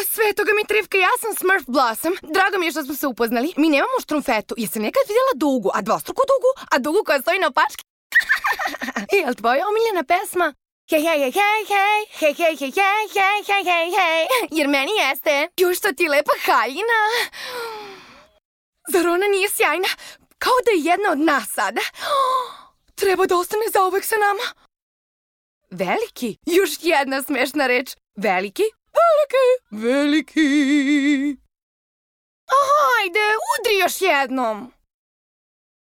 Svetoga mi Trifka, ja sam Smurf Blossom. Drago mi je što smo se upoznali. Mi nemamo štrumfetu. Jesam nekad vidjela dugu, a dvostruku dugu, a dugu koja stoji na opački? Jel tvoja omiljena pesma? Hej, hej, hej, hej, hej, hej, hej, hej, hej, hej, hej, hej, jer meni jeste. Ju, što ti lepa haljina. Zar ona nije sjajna? Kao da je jedna od nas sada. Treba da ostane zauvek sa nama. Veliki? Još jedna smešna reč. Veliki? Veliki. Veliki. Hajde, udri još jednom.